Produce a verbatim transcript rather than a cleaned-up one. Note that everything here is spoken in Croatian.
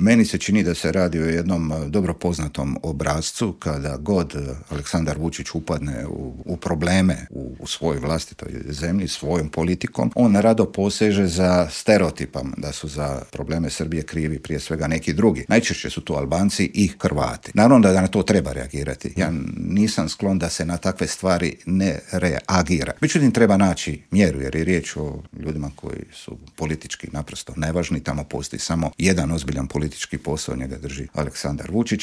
Meni se čini da se radi o jednom dobro poznatom obrascu kada god Aleksandar Vučić upadne u, u probleme u, u svojoj vlastitoj zemlji, svojom politikom, on rado poseže za stereotipom da su za probleme Srbije krivi prije svega neki drugi. Najčešće su to Albanci i Hrvati. Naravno da na to treba reagirati. Ja nisam sklon da se na takve stvari ne reagira. Međutim, treba naći mjeru jer je riječ o ljudima koji su politički naprosto nevažni. Tamo postoji samo jedan ozbiljan politički posao, njega drži Aleksandar Vučić.